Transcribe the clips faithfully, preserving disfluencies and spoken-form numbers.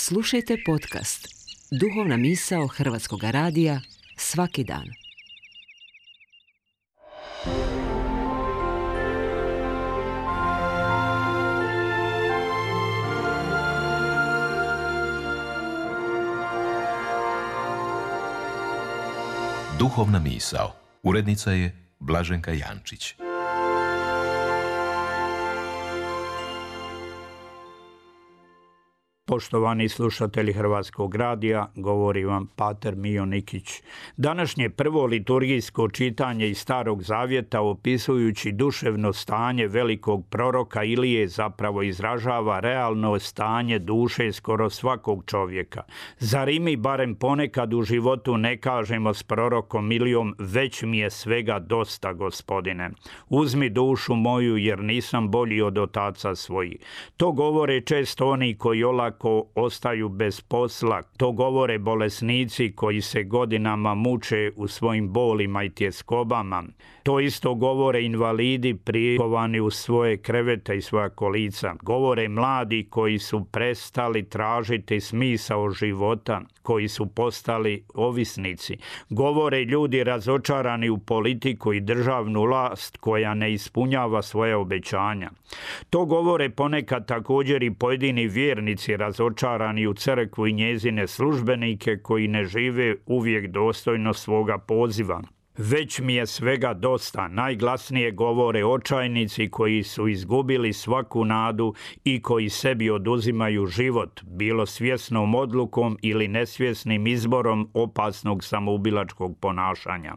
Slušajte podcast Duhovna misao Hrvatskog radija svaki dan. Duhovna misao. Urednica je Blaženka Jančić. Poštovani slušatelji Hrvatskog radija, govori vam pater Mijo Nikić. Današnje prvo liturgijsko čitanje iz Starog zavjeta, opisujući duševno stanje velikog proroka Ilije, zapravo izražava realno stanje duše skoro svakog čovjeka. Zar i mi barem ponekad u životu ne kažemo s prorokom Ilijom: već mi je svega dosta, Gospodine. Uzmi dušu moju, jer nisam bolji od otaca svojih. To govore često oni koji olako ko ostaju bez posla. To govore bolesnici koji se godinama muče u svojim bolima i tjeskobama. To isto govore invalidi prikovani u svoje krevete i svoja kolica. Govore mladi koji su prestali tražiti smisao života, koji su postali ovisnici. Govore ljudi razočarani u politiku i državnu vlast koja ne ispunjava svoje obećanja. To govore ponekad također i pojedini vjernici razočarani u crkvu i njezine službenike koji ne žive uvijek dostojno svoga poziva. Već mi je svega dosta, najglasnije govore očajnici koji su izgubili svaku nadu i koji sebi oduzimaju život, bilo svjesnom odlukom ili nesvjesnim izborom opasnog samoubilačkog ponašanja.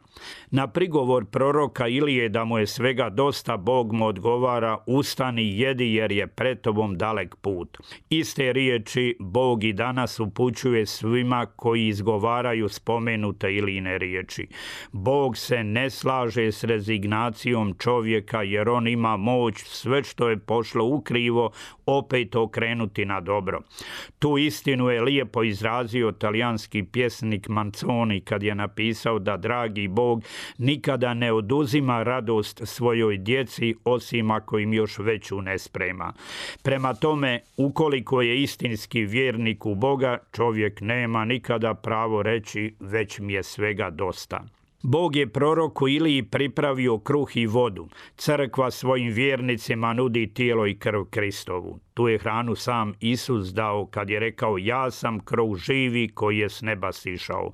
Na prigovor proroka Ilije da mu je svega dosta, Bog mu odgovara: ustani, jedi, jer je pred tobom dalek put. Iste riječi Bog i danas upućuje svima koji izgovaraju spomenute Ilijine riječi. Bog se ne slaže s rezignacijom čovjeka, jer on ima moć sve što je pošlo ukrivo opet okrenuti na dobro. Tu istinu je lijepo izrazio talijanski pjesnik Manzoni kad je napisao da dragi Bog nikada ne oduzima radost svojoj djeci, osim ako im još veću ne sprema. Prema tome, ukoliko je istinski vjernik u Boga, čovjek nema nikada pravo reći: već mi je svega dosta. Bog je proroku Iliji pripravio kruh i vodu. Crkva svojim vjernicima nudi tijelo i krv Kristovu. Tu je hranu sam Isus dao kad je rekao: ja sam kruh živi koji je s neba sišao.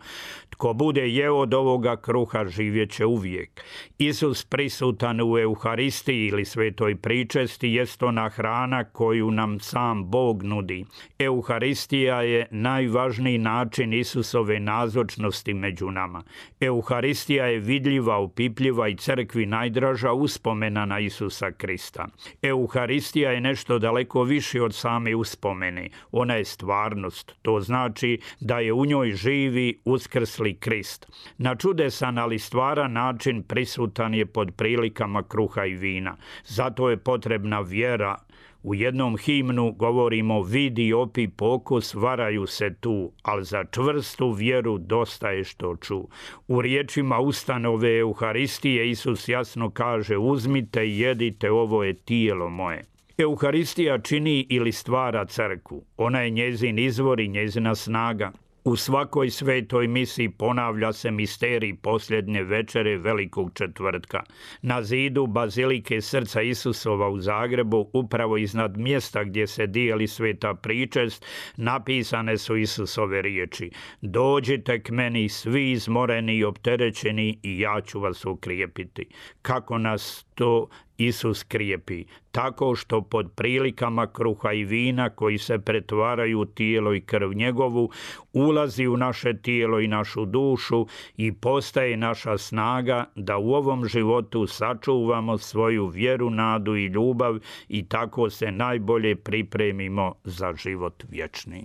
Tko bude jeo od ovoga kruha živjet će uvijek. Isus prisutan u Euharistiji ili svetoj pričesti jest ona hrana koju nam sam Bog nudi. Euharistija je najvažniji način Isusove nazočnosti među nama. Euharistija je vidljiva, opipljiva i crkvi najdraža uspomena na Isusa Krista. Euharistija je nešto daleko više od same uspomene. Ona je stvarnost. To znači da je u njoj živi uskrsli Krist. Na čudesan, ali stvaran način prisutan je pod prilikama kruha i vina. Zato je potrebna vjera. U jednom himnu govorimo: vidi, opi, pokus, varaju se tu, ali za čvrstu vjeru dosta je što ču. U riječima ustanove Euharistije Isus jasno kaže: uzmite i jedite, ovo je tijelo moje. Euharistija čini ili stvara crkvu. Ona je njezin izvor i njezina snaga. U svakoj svetoj misi ponavlja se misterij posljednje večere Velikog četvrtka. Na zidu bazilike Srca Isusova u Zagrebu, upravo iznad mjesta gdje se dijeli sveta pričest, napisane su Isusove riječi: dođite k meni svi izmoreni i opterećeni i ja ću vas ukrijepiti. Kako nas to Isus krijepi? Tako što pod prilikama kruha i vina koji se pretvaraju u tijelo i krv njegovu, ulazi u naše tijelo i našu dušu i postaje naša snaga da u ovom životu sačuvamo svoju vjeru, nadu i ljubav i tako se najbolje pripremimo za život vječni.